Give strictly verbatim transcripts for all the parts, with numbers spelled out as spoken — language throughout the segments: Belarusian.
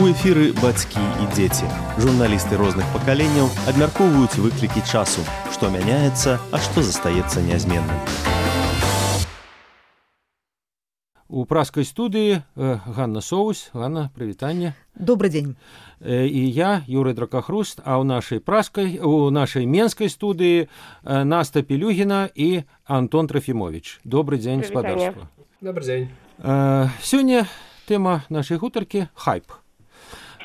У эфіры бацькі і дзеці. Журналісты розных пакаленняў абмяркоўваюць выклікі часу, што мяняецца, а што застаецца нязменным. У праскай студыі Ганна Соус. Ганна, прывітанне. Добрый день. І я, Юрый Дракахруст, а ў нашай праскай, у нашай менскай студыі Наста Пелюгіна і Антон Трофімович. Добрый дзень, спадарства. Добрый дзень. Сёння тэма нашай гутаркі – хайп.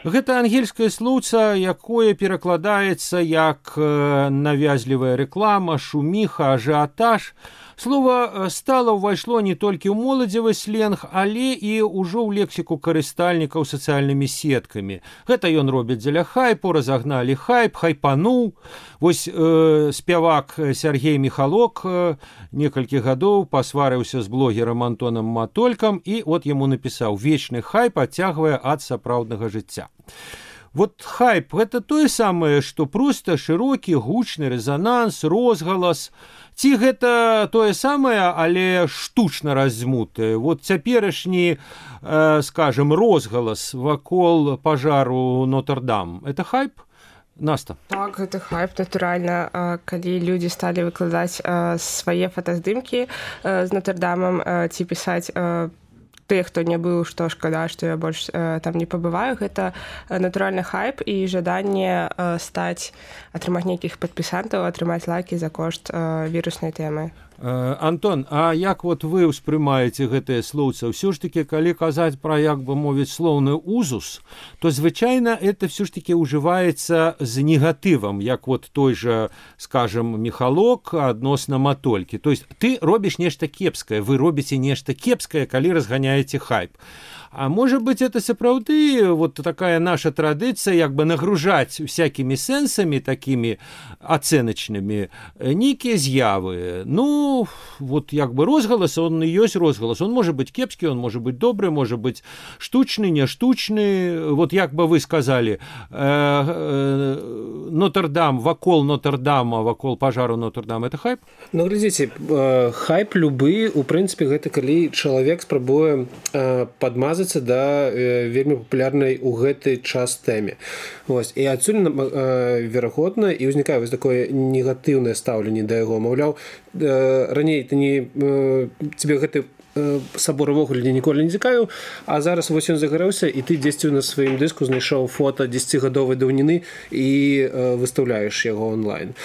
Гэта ангельскае слоўца, якое перакладаецца як навязлівая рэклама, шуміха, ажыятаж. Слова стала ўвайшло не толькі ў моладзевы сленг, але і ўжо ў лексіку карыстальнікаў сацыяльнымі сеткамі. Гэта ён робіць дзеля хайпу, разагналі хайп, хайпануў. Вось э, спявак Сергей Михалок э, некалькі гадоў пасварыўся з блогерам Антонам Матолькам і от яму напісаў: «Вечны хайп адцягвае ад сапраўднага жыцця». Вот хайп – гэта тое самае, што проста шырокі, гучны рэзананс, розгалас. Ці гэта тое самае, але штучна раздзьмутае. Вот цяперашні, э, скажем, розгалас вакол пажару Нотр-Дам – это хайп? Наста. Так, гэта хайп, натуральна. Калі людзі сталі выкладаць свае фотаздымкі з Нотр-Дамам ці пісаць тыя, хто не быў, што шкада, што я больш э, там не пабываю, гэта натуральны хайп і жаданне э, стаць, атрымаць нейкіх падпісантаў, атрымаць лайкі за кошт э, віруснай тэмы. Э, Антон, а як вот вы ўспрымаеце гэтыя слоўца? Ўсё ж такі, калі казаць пра, як бы мовіць, слоўны узус, то звычайна это ўсё ж такі ўжываецца з негатывам, як вот той жа, скажем, Михалок адносна Матолькі. То есть ты робіш нешта кепскае, вы робіце нешта кепскае, калі разганяеце хайп. А может быть, это сапраўды вот такая наша традыцыя, як бы нагружаць всякімі сэнсамі такімі ацэначнымі нейкія з'явы. Ну, вот як бы розгалас, он і ёсць розгалас. Он может быть кепскі, он может быть добры, может быть штучны, не штучны. Вот як бы вы сказали, э, э, Нотр-Дам, вакол Нотр-Дама, вакол пажару Нотр-Дам, это хайп? Ну, глядзіце, э, хайп любы, у прынцыпе, гэта калі чалавек спрабуе э, падмазаць да э, вельмі папулярнай у гэты час тэме. Вось. І адсюль э, верагодна і ўзнікае вось такое негатыўнае стаўленне да яго. Маўляў, э, раней ты не э, тебе гэты э, сабор увогуле ніколі не цікавіў, а зараз вось ён загарэўся, і ты дзесьці на сваім дыску знайшоў фота дзесяцігадовай даўніны і э, выстаўляеш яго онлайн.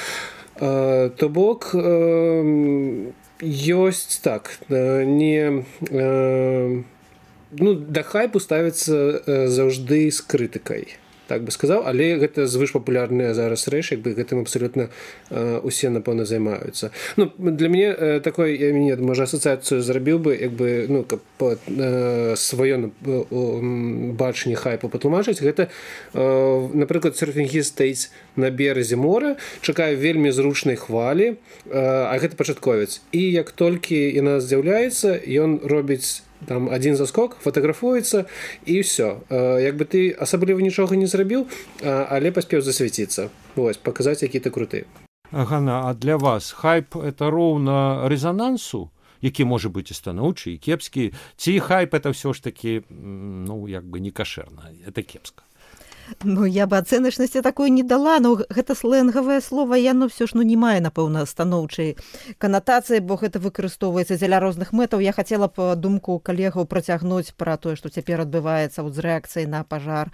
Э, то бок э, ёсць так, э, не э, ну, да хайпу ставіцца э, заўжды з крытыкай, так бы сказаў, але гэта звышпапулярная зараз рэч, як бы гэтым абсалютна э, усе, напэўна, займаюцца. Ну, для мяне э, такой, я мяне, можа, асацыяцыю зрабіў бы, як бы, ну, каб э, сваё э, бачанне хайпу патлумачыць, гэта, э, напрыклад, серфінгіст стаіць на беразе мора, чакае вельмі зручнай хвалі, э, а гэта пачатковец. І як толькі яна з'яўляецца, ён робіць там один заскок, фотаграфуецца і ўсё. Як бы ты асабліва нічога не зрабіў, але паспеў засвяціцца. Вось, паказаць, які ты круты. Ганна, а для вас хайп – это роўна рэзанансу, які можа быць і станоўчы, і кепскі? Ці хайп – это ўсё ж такі, ну, як бы не кашэрна, это кепска? Ну, я бы ацэначнасці такой не дала, но гэта сленгавае слова, яно ўсё ж ну, не мае, напэўна, станоўчай канатацыі, бо гэта выкарыстоўваецца дзеля розных мэтаў. Я хацела б думку калегаў працягнуць пра тое, што цяпер адбываецца з рэакцыяй на пажар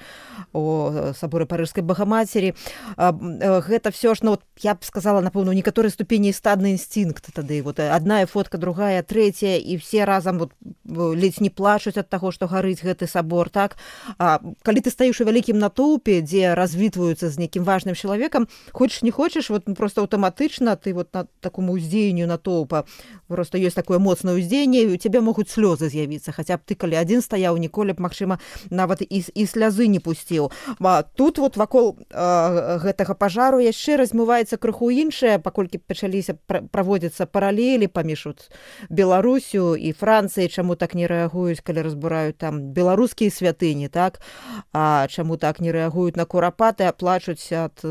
у саборы Парыжскай Багамацері. Гэта ўсё ж, ну, я б сказала, напэўна, у некаторай ступені стадны інстынкт тады. Вот адна фотка, другая, трэцяя, і все разам вот, ледзь не плачуць ад таго, што гарыць гэты сабор, так? А калі ты стаіш у вялікім натоўпе, дзе развітваюцца з нейкім важным чалавекам, хочаш не хочаш, вот просто аўтаматычна ты вот на такому ўздзеянню натоўпа, просто ёсць такое моцнае ўздзеянне, і у цябе могуць слёзы з'явіцца, хаця б ты калі адзін стаяў, ніколі б, магчыма, нават і, і слязы не пусціў. А тут вот вакол э, гэтага пажару яшчэ размываецца крыху іншае, паколькі пачаліся праводзіцца паралелі паміж Беларусю і Францыяй, чаму так не рэагуюць, калі разбураюць там беларускія святыні, так? А чаму так не не рэагуюць на курапаты, а плачуць ад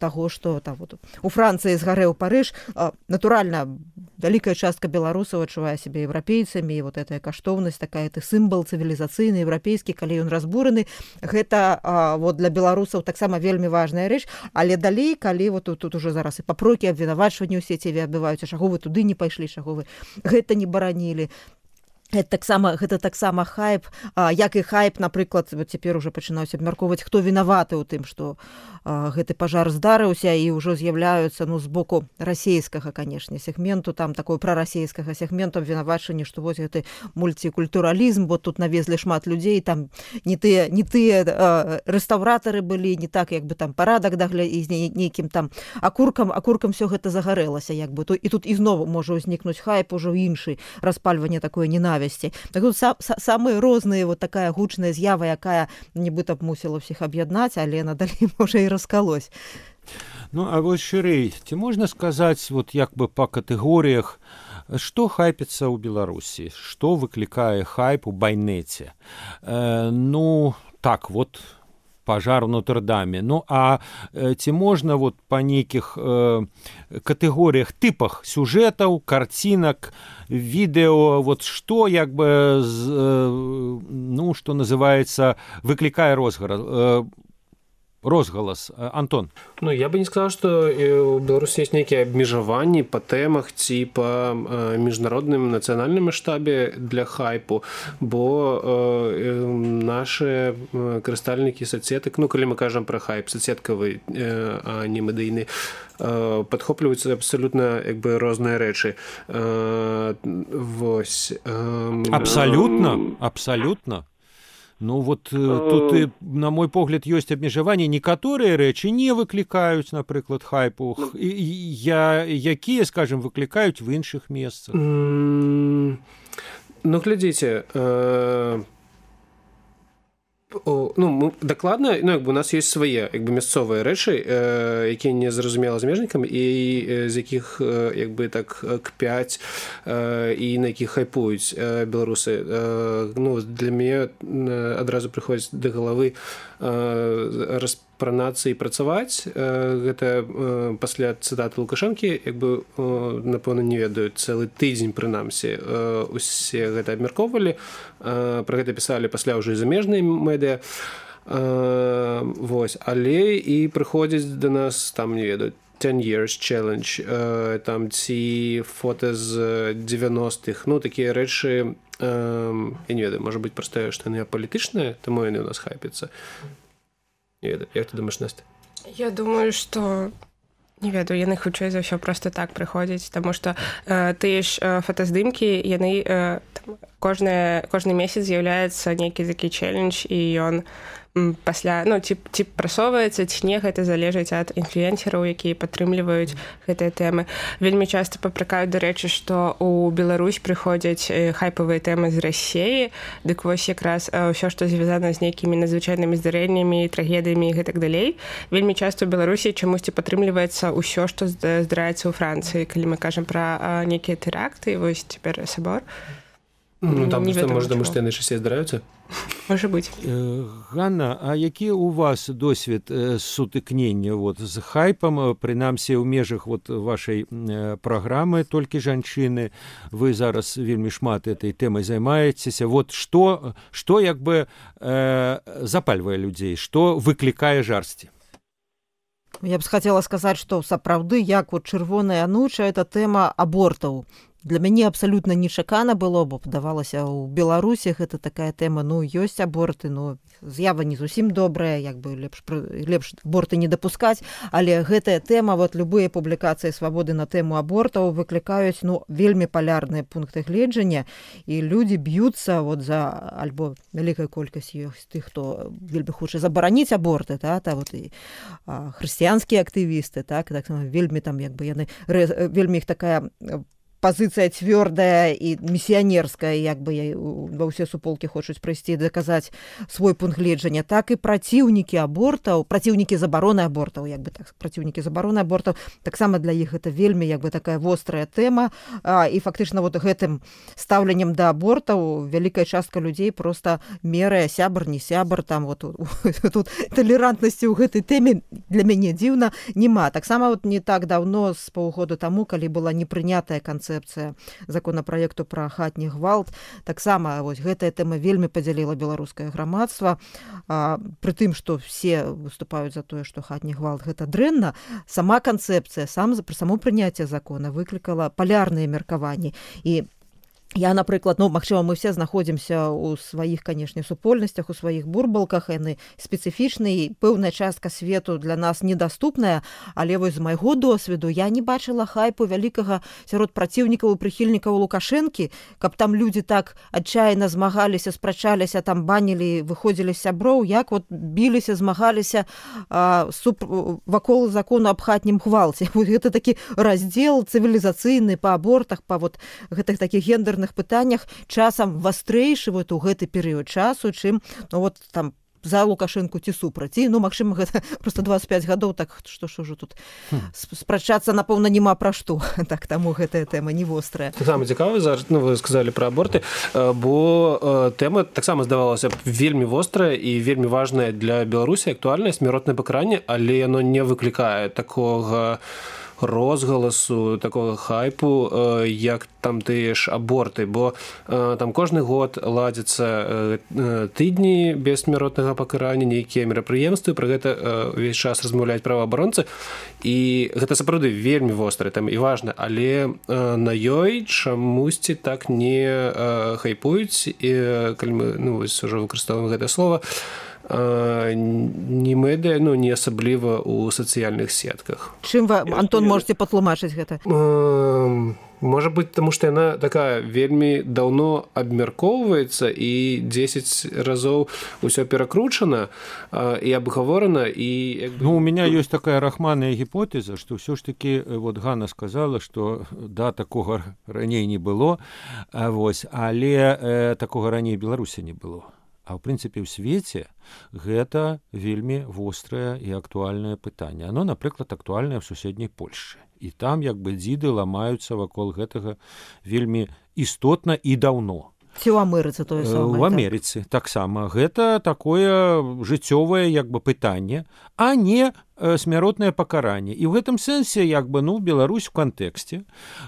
таго, што там вот у Францыі згарэў Парыж. Натуральна, вялікая частка беларусаў адчувае сябе еўрапейцамі, і вот гэтая каштоўнасць, такая ты сімвал цывілізацыйны еўрапейскі, калі ён разбураны, гэта а, вот для беларусаў таксама вельмі важная рэч. Але далей, калі вот тут, тут уже зараз і папрокі, абвінавачванні ў сеціве адбываюцца, чаго вы туды не пайшлі, чаго вы гэта не баранілі. Гэта таксама, гэта таксама хайп, а, як і хайп, напрыклад, вот цяпер уже пачынаюць абмяркоўваць, хто вінаваты ў тым, што а, гэты пажар здарыўся, і ўжо з'яўляюцца, ну, з боку расійскага, канешне, сегменту, там такой прарасійскага сегменту абвінавачванні, што вось гэты мультикультуралізм, бо тут навезлі шмат людзей, там не тыя, не тыя а, рэстаўратары былі, не так, як бы там парадак дагля і з нейкім там акуркам, акуркам все гэта загарэлася, як бы, то, і тут ізноў можа ўзнікнуць хайп ужо іншы, распальванне такое ненавісці. Так тут са, са, самыя розныя, вот такая гучная з'ява, якая нібыта б мусіла ўсіх аб'яднаць, але надалей можа і раскалось. Ну, а вось шырэй, ці можна сказаць, вот як бы па катэгорыях, што хайпіцца ў Беларусі, што выклікае хайп у байнеце? Э, ну, так, вот пажар у Нотр-Даме. Ну, а э, ці можна вот па нейкіх э, катэгорыях, тыпах сюжэтаў, карцінак, відэо, вот што як бы, з, э, ну, што называецца, выклікае розгалас? Э, розгалас. Антон. Ну, я бы не сказал, что у Беларусі есть нейкія абмежаванні па тэмах ці па міжнародным нацыянальным маштабе для хайпу, бо э, наши карыстальнікі соцсетак, ну, калі мы кажам пра хайп соцсеткавы, э, а не медыйны, э, падхопліваюцца абсалютна як бы розныя рэчы. Э, вось. Э, абсалютна, абсалютна. Ну, вот тут, і, на мой погляд, ёсць абмежаванні. Некаторыя рэчы не выклікаюць, напрыклад, хайпу. Я, якія, скажем, выклікаюць в іншых месцах. Ну, глядзіце, э, о, ну, мы, дакладна, ну, як бы у нас ёсць свае як бы мясцовыя рэчы, э, якія не зразумела замежнікам, і э, з якіх э, як бы так кпяць э, і на якіх хайпуюць э, беларусы. Э, ну, для мяне э, адразу прыходзіць да галавы э, распранацца і працаваць. Э, гэта э, пасля цытаты Лукашэнкі, як бы, э, напэўна, не ведаю, цэлы тыдзень, прынамсі, э, усе гэта абмяркоўвалі, э, пра гэта пісалі пасля ўжо і замежныя медыа. Э, вось. Але і прыходзіць да нас, там, не ведаю, ten years challenge, э, там ці фота з дзевяностых, ну, такія рэчы, э, я не ведаю, можа быць проста, што яны апалітычныя, таму яны ў нас хайпяцца. Не ведаю, як ты думаеш, Настя? Я думаю, што не ведаю, яны хутчэй за ўсё проста так прыходзяць, таму што э, тыя ж э, фотаздымкі, яны э, там, кожны, кожны месяц з'яўляецца нейкі такі челлендж, і ён пасля, ну, ці, ці прасоўваецца, ці не, гэта залежыць ад інфлюэнсераў, якія падтрымліваюць гэтыя тэмы. Вельмі часта папракаюць, дарэчы, што ў Беларусь прыходзяць хайпавыя тэмы з Расіі, дык вось якраз ўсё, што звязана з нейкімі надзвычайнымі здарэннямі, трагедыямі і гэтак далей. Вельмі часта ў Беларусі чамусьці падтрымліваецца ўсё, што здараецца ў Францыі, калі мы кажам пра нейкія тэракты, вось цяпер сабор. Ну, там просто, может, потому что яны часцей здараюцца? Можа быць. Ганна, а які у вас досвед сутыкнення вот, з хайпам, прынамсі ў межах вот, вашай праграмы «Толькі жанчыны», вы зараз вельмі шмат этой тэмай займаецеся. Вот што, што як бы э, запальвае людзей, што выклікае жарсці? Я б хацела сказаць, што сапраўды, як вот чырвоная ануча, это тэма абортаў. Для мяне абсалютна нечакана было, бо падавалася, у Беларусі гэта такая тэма, ну, ёсць аборты, ну, з'ява не зусім добрая, як бы лепш, лепш аборты не дапускаць, але гэтая тэма, вот любыя публікацыі «Свабоды» на тэму абортаў выклікаюць, ну, вельмі палярныя пункты гледжання, і людзі б'юцца вот за, альбо вялікая колькасць ёсць тых, хто вельмі хоча забараніць аборты, та, та вот і а, хрысціянскія актывісты, так, так вельмі там, як бы яны, вельмі іх такая пазіцыя цвёрдая і місіянерская, як бы ва ўсе суполкі хочуць прыйсці даказаць свой пункт гледжання, так і праціўнікі абортаў, праціўнікі забароны абортаў, як бы так, праціўнікі забароны абортаў, таксама для іх гэта вельмі як бы такая вострая тэма, і фактычна вот гэтым стаўленнем да абортаў вялікая частка людзей просто мерае сябар, не сябар, там вот тут талерантнасці ў гэтай тэме для мяне дзіўна няма. Таксама вот не так даўно, з паўгода таму, калі была непрынятая канцэпцыя законапраекту пра хатні гвалт, таксама вось гэтая тэма вельмі падзяліла беларускае грамадства. Пры тым, што все выступаюць за тое, што хатні гвалт гэта дрэнна, сама канцэпцыя, сам пра само прыняцце закона выклікала палярныя меркаванні. І я, напрыклад, ну, магчыма, мы все знаходзімся ў сваіх, канешне, супольнасцях, у сваіх бурбалках, яны спецыфічныя, пэўная частка свету для нас недаступная, але вось з майго досведу я не бачыла хайпу вялікага сярод праціўнікаў і прыхільнікаў Лукашэнкі, каб там людзі так адчайна змагаліся, спрачаліся, там банілі, выходзілі з сяброў, як вот біліся, змагаліся а, суп, вакол закону аб хатнім гвалце. Гэта такі раздзел цывілізацыйны па абортах, па вот гэтых такіх гендерных пытаннях часам вастрэйшы вот у гэты перыяд часу, чым ну, вот, там, за Лукашэнку ці супраць. І, ну, магчыма, гэта просто двадцять пять гадоў, так што ж ужо тут хм. спрачацца, напэўна, няма пра што. Так, таму гэтая тэма не вострая. Таксама цікава, ну, вы сказалі пра аборты, бо тэма таксама здавалася вельмі вострая і вельмі важная для Беларусі, актуальная, смяротнае пакаранне, але яно не выклікае такога розгаласу, такого хайпу, як там тыя ж аборты, бо там кожны год ладзяцца тыдні без смяротнага пакарання, нейкія мерапрыемствы, пра гэта ўвесь час размаўляюць праваабаронцы, і гэта сапраўды вельмі вострае там і важна, але на ёй чамусьці так не хайпуюць, і калі мы ну, вось ужо выкарыстоўваем гэтае слова, не медыа, ну, не асабліва ў сацыяльных сетках. Чым вы, Антон, можете патлумачыць гэта? Можа быць, таму што яна такая вельмі даўно абмяркоўваецца і дзесяць разоў усё перакручана і абгаворана. І, як бы... Ну, у меня ёсць такая рахманная гіпотэза, што ўсё ж такі, вот Ганна сказала, што да, такога раней не было, вось, але э, такога раней Беларусі не было. А ў прынцыпе ў свеце гэта вельмі вострае і актуальнае пытанне. Оно, напрыклад, актуальнае ў суседняй Польшчы. І там як бы дзіды ламаюцца вакол гэтага вельмі істотна і даўно. Ці ў Амерыцы тое самае? У Амерыцы так. таксама. Гэта такое жыццёвае як бы пытанне, а не смяротнае пакаранне. І ў гэтым сэнсе як бы ну Беларусь у кантэксце.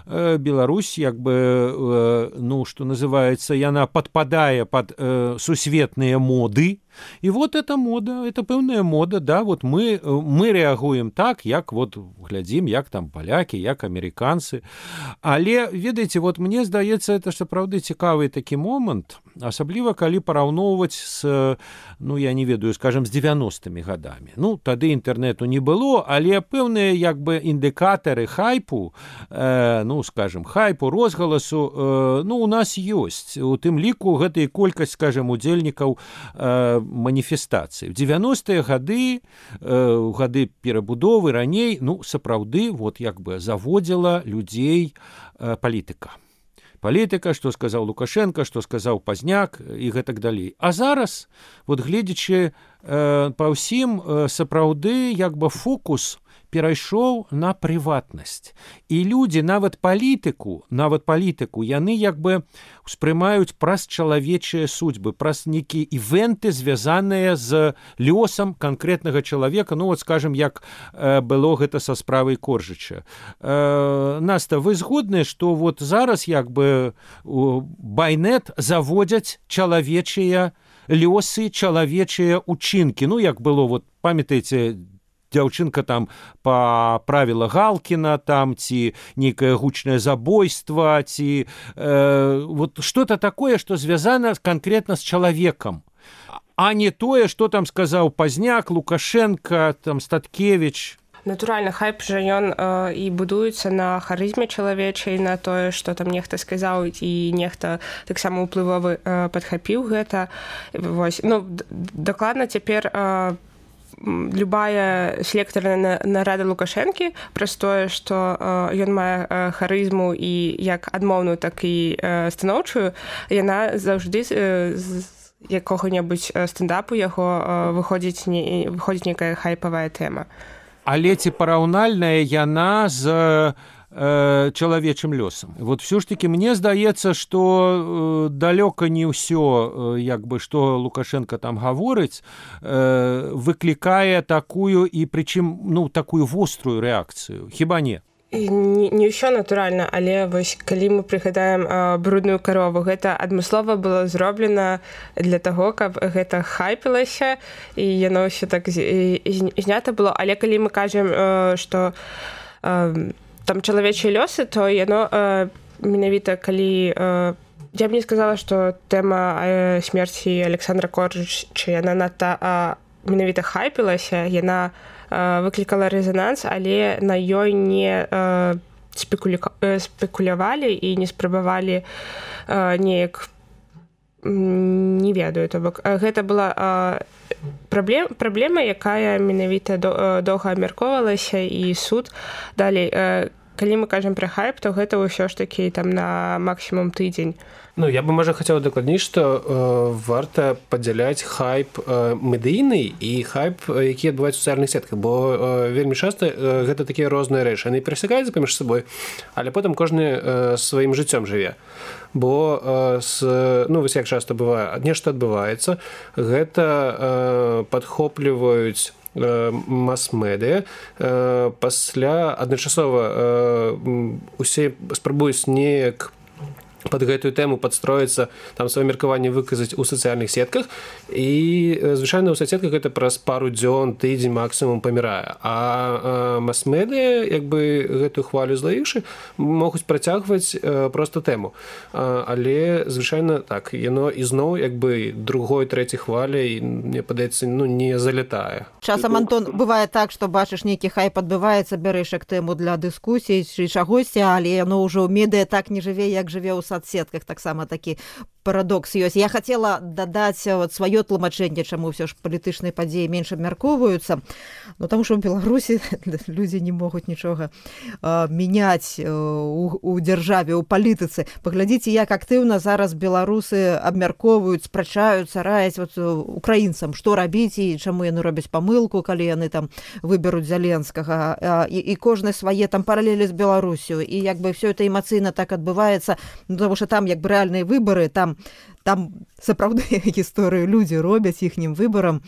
Беларусь як бы ну што называецца, яна падпадае пад сусветныя моды. І вот эта мода, это пэўная мода, да, вот мы, мы рэагуем так, як вот глядзім, як там палякі, як амерыканцы. Але, ведаеце, вот мне здаецца, это сапраўды цікавы такі момант, асабліва калі параўноўваць з, ну, я не ведаю, скажем, з девяностымі гадамі. Ну, тады інтэрнету не было, але пэўныя як бы індыкатары хайпу, э, ну, скажем, хайпу, розгаласу, э, ну, у нас ёсць. У тым ліку гэта і колькасць, скажем, удзельнікаў э, маніфестацыі. В девяностыя гады, э, гады перабудовы раней, ну, сапраўды, вот як бы заводзіла людзей э, палітыка. Палітыка, што сказаў Лукашенко, што сказаў Пазняк і гэтак далей. А зараз, вот гледзячы э, па ўсім, э, сапраўды як бы фокус перайшоў на прыватнасць. І людзі, нават палітыку, нават палітыку, яны як бы успрымаюць праз чалавечыя судьбы, праз нейкія івенты, звязаныя з лёсам канкрэтнага чалавека. Ну, вот, скажем, як э, было гэта са справай Коржыча. Э, Наста, вы згодныя, што вот зараз як бы байнет заводзяць чалавечыя лёсы, чалавечыя учынкі. Ну, як было, вот, памятаеце, дзяўчынка там паправіла Галкіна, там, ці нейкае гучнае забойства, ці э, вот что-то такое, што звязана канкрэтна з чалавекам, а не тое, што там сказаў Пазняк, Лукашенко, там, Статкевіч. Натуральна, хайп жа ён э, і будуецца на харызме чалавечай, на тое, што там нехта сказаў, і нехта таксама ўплывовы э, падхапіў гэта. Вось. Ну, дакладна цяпер э, любая селектарная нарада Лукашэнкі праз тое, што ён мае харызму і як адмоўную, так і станоўчую, яна заўжды з якога-небудзь стендапу яго выходзіць, не, выходзіць некая хайпавая тэма. Але ці параўнальная яна з чалавечым лёсам. Вот все ж таки мне здаецца, што далёка не ўсё, як бы што Лукашенко там гаворыць, выклікае такую і прычым, ну, такую вострую рэакцыю. Хіба не? Не, не ўсё натуральна, але вось калі мы прыгадаем а, брудную карову, гэта адмыслова было зроблена для таго, каб гэта хайпілася і яно ўсё так з, з, знята было. Але калі мы кажам, а, што а, там чалавечыя лёсы, то яно а, менавіта калі а, я б не сказала, што тэма а, смерці Александра Корчыча яна надта а, менавіта хайпілася, яна а, выклікала рэзананс, але на ёй не а, спекуля... спекулявалі і не спрабавалі а, неяк не ведаю, то бок гэта была а, праблем, праблема, якая менавіта доўга абмяркоўвалася, і суд далей. А, калі мы кажам пра хайп, то гэта ўсё ж такі там на максімум тыдзень. Ну, я бы, можа, хацела дакладніць, што э, варта падзяляць хайп э, медыйны і хайп, які адбываецца ў сацыяльных сетках, бо э, вельмі часта э, гэта такія розныя рэчы. Яны перасякаюцца паміж сабой, але потым кожны э, сваім жыццём жыве. Бо э, с, ну, вось як часта бывае, нешта адбываецца, гэта э, падхопліваюць мас-медыя, пасля адначасова усе спрабуюць неяк под гэтую тэму падстроіцца, там сваё меркаванне выказаць у сацыяльных сетках, і звычайна ў соцсетках гэта праз пару дзён, тыдзень максімум памірае. А мас-медыя, як бы гэтую хвалю злаіўшы, могуць працягваць проста тэму. Але звычайна так, яно ізноў як бы другой, трэцяй хваляй, мне падаецца, ну, не залятае. Часам, Антон, бывае так, што бачыш нейкі хайп адбываецца, бярэш як тэму для дыскусіі ці чагосьці, але яно ўжо ў медыя так не жыве, як жыве ў соцсетках, таксама такі парадокс ёсць. Я хацела дадаць вот сваё тлумачэнне, чаму ўсё ж палітычныя падзеі менш абмяркоўваюцца. Ну, таму што ў Беларусі людзі не могуць нічога а, мяняць у, у дзяржаве, у палітыцы. Паглядзіце, як актыўна зараз беларусы абмяркоўваюць, спрачаюцца, раяць вот, украінцам, што рабіць і чаму яны робяць памылку, калі яны там выберуць Зеленскага. А, і, і кожны свае там паралелі з Беларусю. І як бы все это эмацыйна так адбываецца, ну, потому что там як бы рэальныя выборы, там там сапраўдныя гісторыі людзі робяць іхнім выбарам,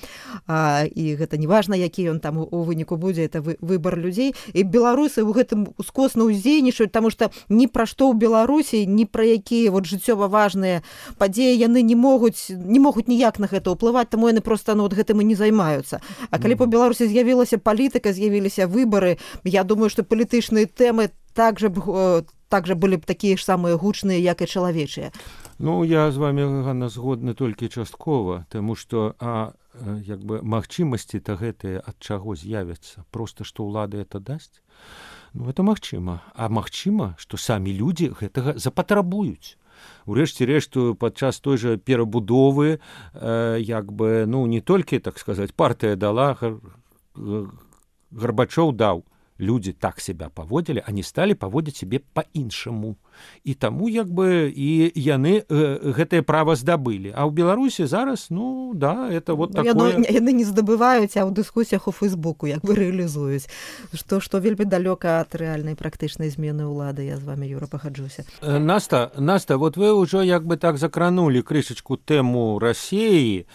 а, і гэта не важна, які ён там у, у выніку будзе, это вы, выбар людзей. І беларусы ў гэтым ускосна ўздзейнічаюць, таму што ні пра што ў Беларусі, ні пра якія вот жыццёва важныя падзеі яны не могуць не могуць ніяк на гэта ўплываць, таму яны проста ну, вот гэтым і не займаюцца. А калі па Беларусі з'явілася палітыка, з'явіліся выбары, я думаю, што палітычныя тэмы также также былі б такія ж самыя гучныя, як і чалавечыя. Ну, я з вами, Ганна, згодны толькі часткова, таму што а, як бы магчымасці-то гэтыя ад чаго з'явяцца? Проста, што ўлада это дасць? Ну, это магчыма. А магчыма, што самі людзі гэтага запатрабуюць. Урэшце рэшту, падчас той жа перабудовы, э, як бы, ну, не толькі, так сказаць, партыя дала, Гар... Гарбачоў даў. Люди так себя поводили, они стали поводить себе по-іншаму. І таму, як бы, і яны э, гэтае права здабылі. А ў Беларусі зараз, ну, да, это вот такое... Яно, яны не здабываюць, а ў дыскусіях у Фейсбуку як бы рэалізуюць. Што, што вельмі далёка ад рэальнай практычнай змены ўлады. Я з вами, Юра, пагаджуся. Наста, Наста, вот вы ўжо як бы так закранули крышечку тэму Расіі.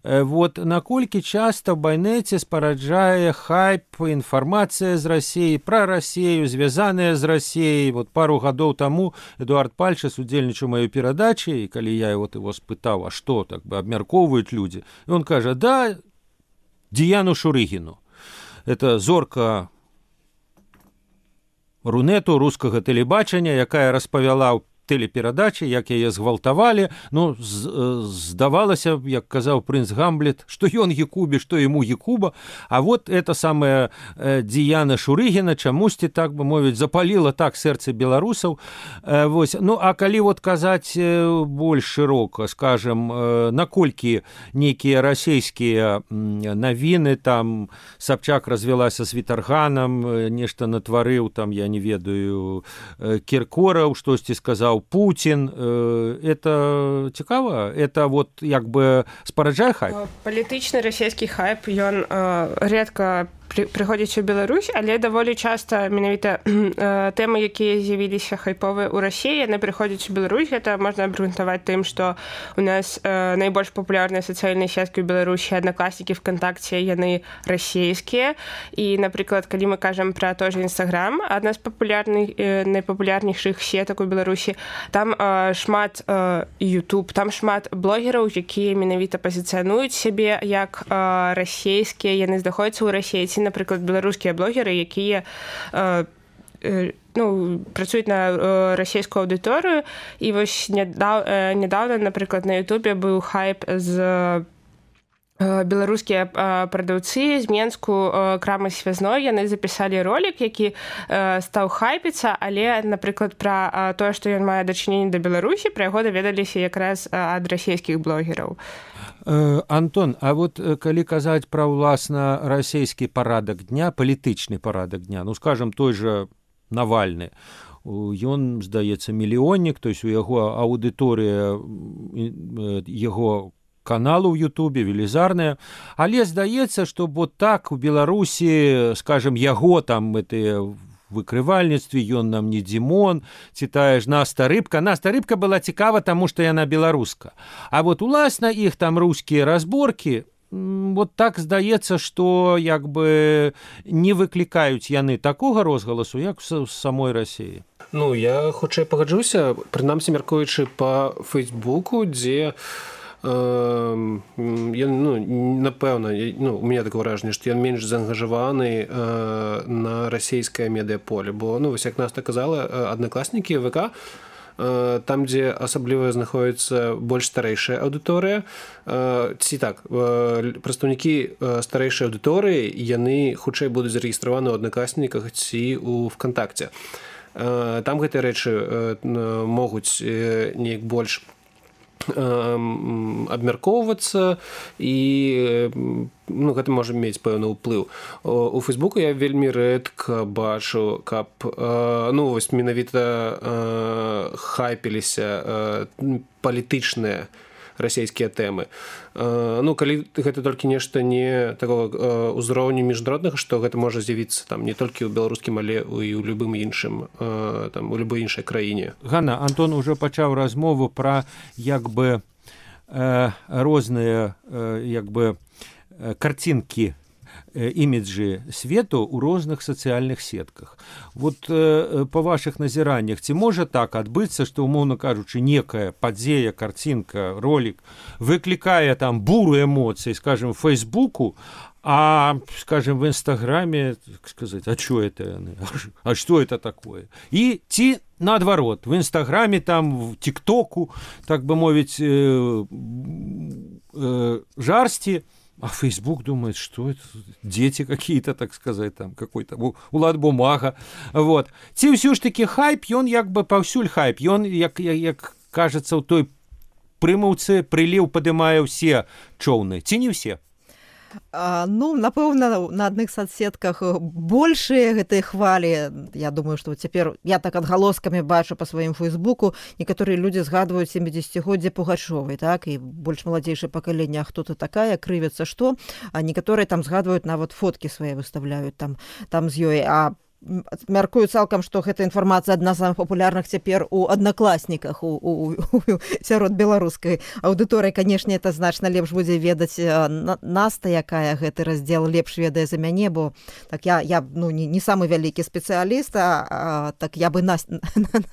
Вот наколькі часта ў байнеце спараджае хайп, інфармацыя з Расіі, пра Расію, звязаная з Расіяй. Вот пару гадоў таму Эдуард Пальчас удзельнічаў маёй перадачы, і калі я вот его спытаў, а што так бы абмяркоўваюць людзі, і он кажа, да, Діяну Шурыгіну. Это зорка рунету рускага тэлебачання, якая распавяла ў тэлеперадачы, як яе згвалтавалі. Ну, здавалася, як казаў прынц Гамлет, што ён Якубе, што яму Якуба. А вот это самая Діяна Шурыгіна чамусьці, так бы мовіць, запаліла так сэрцы беларусаў. Вось. Ну, а калі вот казаць больш шырока, скажем, наколькі нейкія расійскія навіны, там Сабчак развялася з Вітарганам, нешта натварыў, там, я не ведаю, Кіркораў, штосьці сказаў Путін. Это цікава? Это вот як бы спараджае хайп? Палітычны расійскі хайп, ён рэдка прыходзіць у Беларусь, але даволі часта менавіта тэмы, якія з'явіліся хайповыя ў Расіі, яны прыходзяць у Беларусь. Гэта можна абгрунтаваць тым, што у нас найбольш папулярныя сацыяльныя сеткі ў Беларусі, аднакласнікі, ВКонтакце, яны расійскія. І, напрыклад, калі мы кажам пра той же Інстаграм, адна з папулярных, найпапулярнейшых сетак у Беларусі, там шмат Ютуб, там шмат блогераў, якія менавіта пазіцыянуюць сябе як расійскія, яны знаходзяцца ў Расіі. Ці, напрыклад, беларускія блогеры, якія э, э, ну, працуюць на э, расійскую аўдыторыю. І вось нядаў, э, нядаўна, напрыклад, на Ютубе быў хайп з э, беларускія э, прадаўцы з Менску э, крамы связной. Яны запісалі ролик, які э, стаў хайпіцца, але, напрыклад, пра э, тое, што ён мае дачыненне да Беларусі, пра яго даведаліся якраз э, ад расійскіх блогераў. Антон, а вот калі казаць пра ўласна расійскі парадак дня, палітычны парадак дня, ну, скажем, той же Навальны, ён, здаецца, мільённік, то есть у яго аўдыторыя яго каналу ў Ютубе велізарная, але здаецца, што вот так у Беларусі, скажем, яго там гэтыя выкрывальніцтве, ён нам не Дзімон, ці тая ж Наста Рыбка. Наста Рыбка была цікава, таму што яна беларуска. А вот уласна іх там рускія разборкі, вот так здаецца, што як бы не выклікаюць яны такога розгаласу, як з самой Расіі. Ну, я хутчэй пагаджуся, прынамсі мяркуючы па Фейсбуку, дзе ён, ну, напэўна, ну, у меня такое ўражанне, што ён менш заангажаваны э, на расійскае медыаполе, бо, ну, вось як Наста казала, аднакласнікі ВК, э, там, дзе асабліва знаходіцца больш старэйшая аўдыторыя, э, ці так, э, прадстаўнікі старэйшай аўдыторыі, яны хутчэй будуць зарэгістраваны ў аднакласніках ці ў ВКонтакце. Э, там гэтыя рэчы э, могуць э, неяк больш абмяркоўвацца і, ну, гэта можа мець пэўны ўплыў. У Фейсбуку я вельмі рэдка бачу, каб, ну, вось менавіта хайпіліся палітычныя расійскія тэмы. Ну, калі гэта толькі нешта не такого ўзроўню міжнароднага, што гэта можа з'явіцца там не толькі ў беларускім, але і ў любым іншым, там, у любой іншай краіне. Ганна, Антон уже пачаў размову пра як бы э, розныя э, як бы э, карцінкі, іміджы свету ў розных сацыяльных сетках. Вот э, па вашых назіраннях, ці можа так адбыцца, што, умоўна кажучы, некая падзея, карцінка, ролик выклікае там буру эмоцый, скажем, в Фейсбуку, а, скажем, в Инстаграме, так сказать, а что это? А что это такое? И ці наадварот, в Инстаграме, там, в ТикТоку, так бы мовить, э, э, жарсти, а Facebook думает, что это дети какие-то, так сказать, там какой-то улад бумага. Вот. Ці ўсё ж таки хайп, ён як бы паўсюль хайп, ён, як, як, як кажется, у той прымаўцы прыліў падымае ўсе чоўны, ці не ўсе? А, ну, напэўна, на адных соцсетках большыя гэтыя хвалі. Я думаю, што цяпер я так адгалоскамі бачу па сваім Фейсбуку, некаторыя людзі згадваюць сямідзесяцігоддзе Пугачовай, так, і больш маладзейшае пакаленне, а хто ты такая, крывяцца што, а некаторыя там згадваюць, нават фоткі свае выставляюць там, там з ёй, а мяркую цалкам, што гэта інфармацыя адна з самых папулярных цяпер у аднакласніках, у, у, у, сярод беларускай аўдыторыі. Канешне, это значна лепш будзе ведаць Наста, якая гэты раздзел лепш ведае за мяне, бо так я, я ну, не, не самы вялікі спецыяліст, а, а так я бы Насте,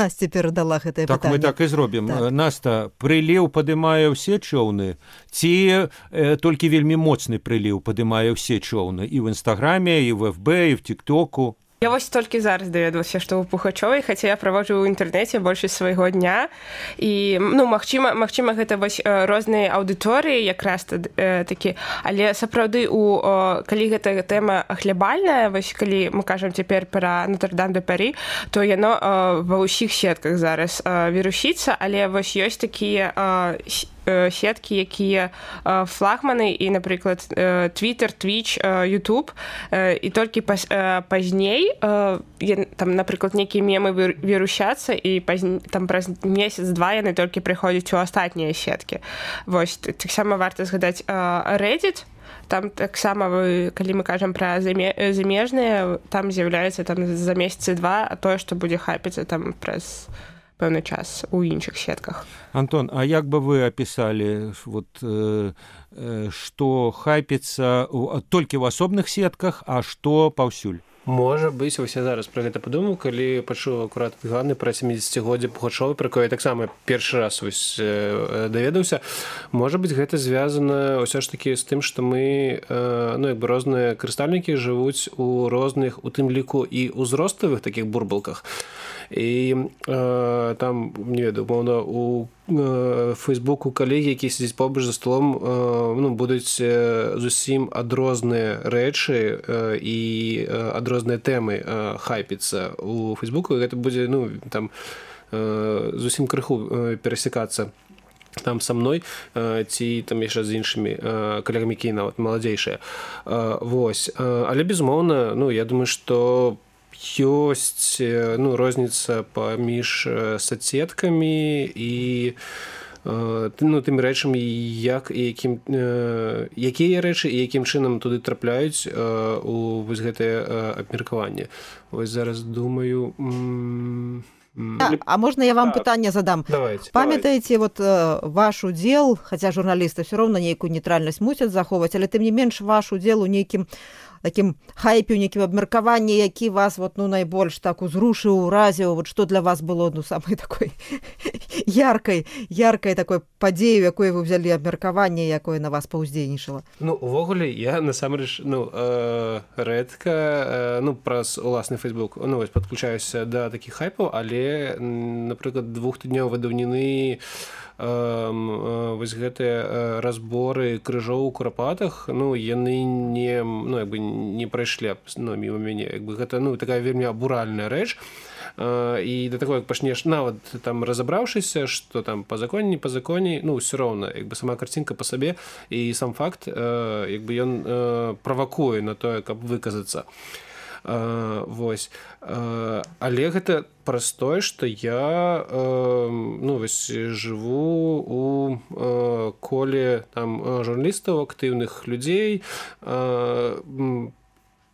Насте перадала гэтае так пытанне. Так мы так і зробім. Так. Наста, прыліў падымае ўсе чоўны, ці э, толькі вельмі моцны прыліў падымае ўсе чоўны і ў Інстаграме, і в эф бэ, і в ТикТоку? Я вось толькі зараз даведалася, што ў Пухачовай, хаця я праводжу ў інтэрнэце большасць свайго дня. І, ну, магчыма, магчыма, гэта вось розныя аўдыторыі якраз э, такі. Але сапраўды, у, о, калі гэта тэма глябальная, вось калі мы кажам цяпер пра Нотр-Дам-де-Парі, то яно э, ва ўсіх сетках зараз э, вірусіцца, але вось ёсць такія э, сеткі, якія флагманы і, напрыклад, Twitter, Twitch, YouTube, і толькі пазней там, напрыклад, нейкія мемы вірусяцца, і там праз месяц-два яны толькі прыходзяць у астатнія сеткі. Вось, таксама варта згадаць Reddit. Там таксама, калі мы кажам пра замежныя, там з'яўляецца там за месяцы два, а тое, што будзе хайпіцца там праз пэўны час у іншых сетках. Антон, а як бы вы опісалі, вот, э, э, што хайпіцца толькі ў асобных сетках, а што паўсюль? Можа быць, вось я зараз пра гэта падумаў, калі пачуў акурат Ганны пра сямідзесяцігоддзе Пухачовай, пра якое я таксама першы раз вось даведаўся. Можа быць, гэта звязана ўсё ж такі з тым, што мы, ну, як бы розныя карыстальнікі жывуць у розных, у тым ліку і ўзроставых такіх бурбалках. І э, там, не ведаю, умоўна, у э, Фейсбуку калегі, які сядзяць побач за столом, э, ну, будуць э, зусім адрозныя рэчы э, і э, адрозныя тэмы э, хайпіцца у Фейсбуку, і гэта будзе, ну, там, э, зусім крыху э, перасекацца там са мной, э, ці там яшчэ з іншымі э, калегамі, які нават маладзейшыя. Э, вось. Э, але, безумоўна, ну, я думаю, што ёсць, ну, розніца паміж соцсеткамі і, ну, тымі рэчамі, як і якім, якія рэчы і якім чынам туды трапляюць у вось гэтае абмеркаванне. Вось зараз думаю... А, а можна я вам пытанне задам? Давайте. Памятаеце, вот ваш удзел, хаця журналісты ўсё роўна нейкую нейтральнасць мусяць захоўваць, але тым не менш ваш удзел у нейкім такім хайпе, у нейкім абмеркаванні, які вас вот, ну, найбольш так узрушыў, уразіў, вот што для вас было, ну, самай такой яркай, яркай такой падзею, якой вы ўзялі абмеркаванне, якое на вас паўздзейнічала? Ну, увогуле, я насамрэч, ну, э, рэдка, э, ну, праз уласны Фейсбук, ну, вось, падключаюся да такіх хайпаў, але, напрыклад, двухтыднёвай даўніны вось гэтыя разборы крыжоў у курапатах, ну, яны не, ну, як бы не прайшлі, ну, міма мяне, як бы гэта, ну, такая вельмі абуральная рэч, і да такой, як пачнеш, нават там разабраўшыся, што там па законе, не па законе, ну, ўсё роўна, як бы сама карцінка па сабе і сам факт, як бы ён правакуе на тое, каб выказацца. Uh, вось. Uh, але гэта праз тое, што я uh, ну, вось, жыву у uh, коле там журналістаў, актыўных людзей, uh,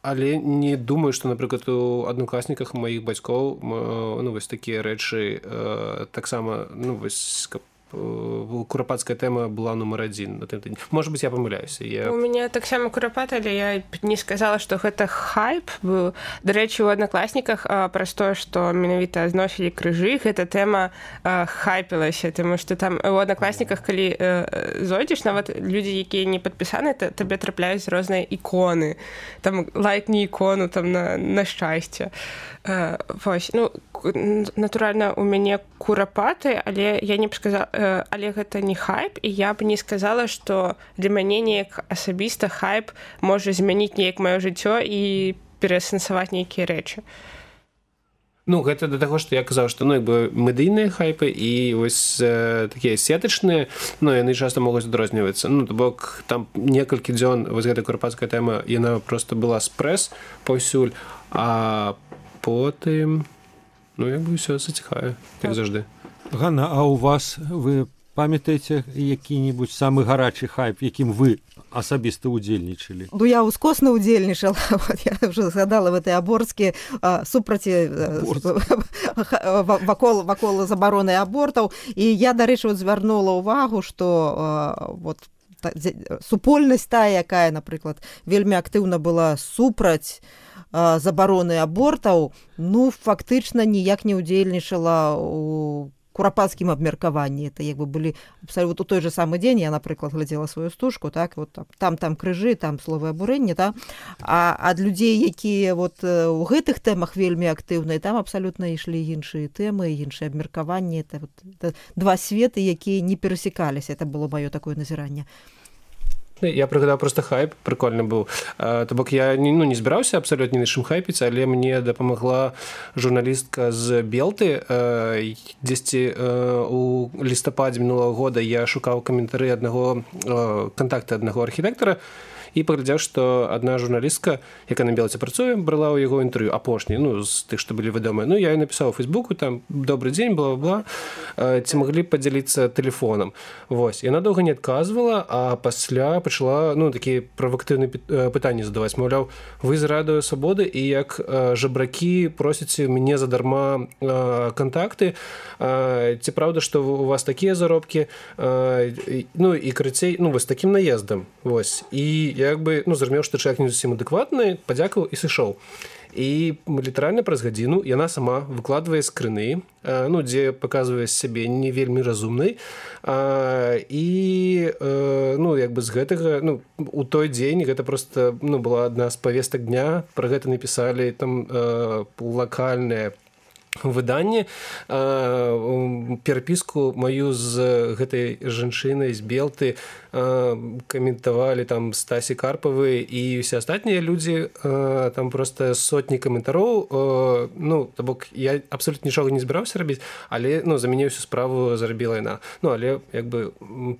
але не думаю, што, напрыклад, у аднакласніках маіх бацькоў uh, ну, вось такія рэчы uh, таксама, ну, вось, каб курапатская тэма была нумар адзін на тым тыдні. Можа быць, я памыляюся. Я... У мяне таксама курапат, але я не сказала, што гэта хайп быў. Дарэчы, у аднакласніках праз тое, што менавіта зносілі крыжы, гэта тэма а, хайпілася, таму што там у аднакласніках, калі а, зойдзеш, нават людзі, якія не падпісаны, табе трапляюць розныя іконы. Там лайкні ікону там на, на шчасце. А, вось, ну, натуральна, у мяне курапаты, але я не б сказала, але гэта не хайп, і я б не сказала, што для мяне неяк асабіста хайп можа змяніць неяк маё жыццё і пераасэнсаваць нейкія рэчы. Ну, гэта да таго, што я казаў, што, ну, як бы медыйныя хайпы і вось э, такія сетачныя, ну, яны часта могуць адрознівацца. Ну, то бок, там некалькі дзён вось гэта курапатская тэма, яна проста была спрэс паўсюль, а потым, ну, як бы ўсё заціхае, як заўжды. Ганна, а у вас, вы памятаеце які-небудзь самы гарачы хайп, якім вы асабіста удзельнічалі? Ну, я ускосна удзельнічала. Вот, я уже згадала в этой аборскі супраці вакол, вакол забароны абортаў. І я, дарэчы, вот, звярнула ўвагу, што вот, супольнасць тая, якая, напрыклад, вельмі актыўна была супраць забароны абортаў, ну, фактычна ніяк не ўдзельнічала у курапацкім абмеркаванні. Это як бы былі абсалютна у той же самы дзень я, напрыклад, глядзела сваю стужку, так вот там там крыжы, там словы абурэння, так? А ад людзей, якія вот у гэтых тэмах вельмі актыўныя, там абсалютна ішлі іншыя тэмы, іншыя абмеркаванні. Это, вот, это два светы, якія не перасекаліся. Это было маё такое назіранне. Я прыгадаў просто хайп, прикольны быў. То бок я не, ну, не збіраўся абсалютна ні на чым хайпіць, але мне дапамагла журналістка з Белты. Дзесьці у лістападзе мінулага года я шукаў каментары аднаго кантакты аднаго архітэктара, і паглядзеў, што адна журналістка, якая на Белце працуе, брала ў яго інтэрв'ю апошні, ну, з тых, што былі вядомыя. Ну, я і напісаў у Фейсбуку, там, добрый дзень, бла-бла, ці маглі падзяліцца тэлефонам. Вось. Яна доўга не адказвала, а пасля пачала, ну, такія правактыўныя пытанні задаваць. Маўляў, вы з радыё Свабоды, і як жабракі просіце мяне задарма кантакты, ці праўда, што у вас такія заробкі, ну, і карацей, ну, вось такім наездам. Вось. І я як бы, ну, зразумеў, што чалавек не зусім адэкватны, падзякаваў і сышоў. І літаральна праз гадзіну яна сама выкладвае скрыны, ну, дзе паказвае сябе не вельмі разумнай. І, ну, як бы з гэтага, ну, у той дзень гэта проста, ну, была адна з павестак дня, пра гэта напісалі там лакальныя выданне, перапіску маю з гэтай жанчынай з Белты каментавалі там Стасі Карпавы і ўсе астатнія людзі, там просто сотні каментароў. Ну, то бок я абсолютна нічога не збіраўся рабіць, але, ну, за мяне ўсю справу зарабіла яна. Ну, але як бы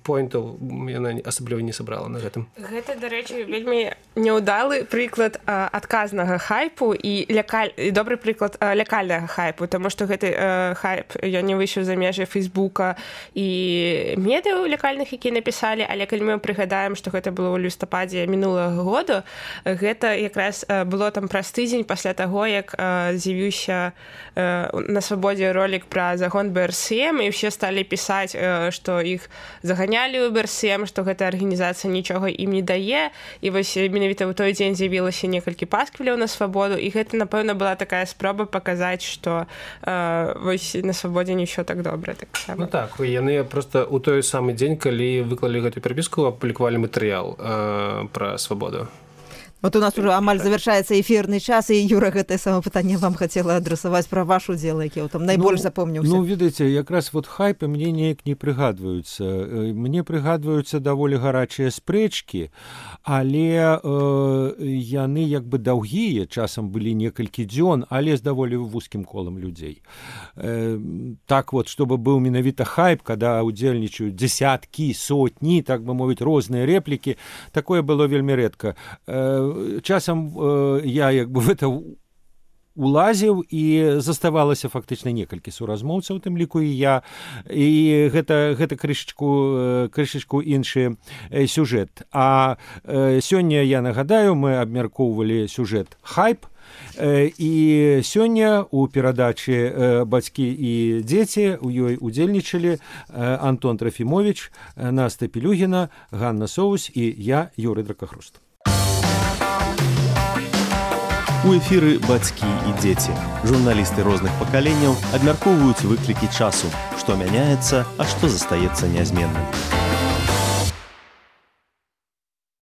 поінтаў яна асабліва не сабрала на гэтым. Гэта, дарэчы, вельмі няўдалы прыклад адказнага хайпу і лякаль... і добры прыклад лякальнага хайпу, таму што гэты хайп ён не выйшаў за межы Фейсбука і медыяў лякальных, якія напісалі, але калі мы прыгадаем, што гэта было ў лістападзе мінулага года, гэта якраз было там праз тыдзень пасля таго, як з'явіўся на Свабодзе ролік пра загон бэ эр эс эм, і ўсе сталі пісаць, што іх заганялі ў бэ эр эс эм, што гэта арганізацыя нічога ім не дае, і вось менавіта ў той дзень з'явілася некалькі пасквіляў на Свабоду, і гэта, напэўна, была такая спроба паказаць, што вось на Свабодзе не ўсё так добра. Так ну так, яны просто ў той самы дзень, калі выклалі гэтую перапіску, апублікавалі матэрыял э, пра Свабоду. Вот у нас уже амаль завершаецца эфірны час, і Юра, гэтае самае пытанне вам хацела адрасаваць пра ваш удзел, які там найбольш ну, запомніўся. Ну, ведаеце, якраз вот хайпы мне неяк не прыгадваюцца. Мне прыгадваюцца даволі гарачыя спрэчкі, але э, яны як бы даўгія, часам былі некалькі дзён, але з даволі вузкім колам людзей. Э, так вот, чтобы быў менавіта хайп, когда удзельнічаюць дзесяткі, сотні, так бы мовіць, розныя рэплікі, такое было вельмі рэдка. Э, Часам э, я як бы в это улазіў, і заставалася фактычна некалькі суразмоўцаў, у тым ліку і я, і гэта, гэта крышачку, крышачку іншы сюжэт. А э, сёння, я нагадаю, мы абмяркоўвалі сюжэт хайп, э, і сёння у перадачы э, «Бацькі і дзеці» у ёй удзельнічалі э, Антон Трафімович, Наста Пілюгіна, Ганна Соус і я, Юрый Дракахруст. У эфіры «Бацькі і дзеці». Журналісты розных пакаленняў абмяркоўваюць выклікі часу, што мяняецца, а што застаецца нязменным.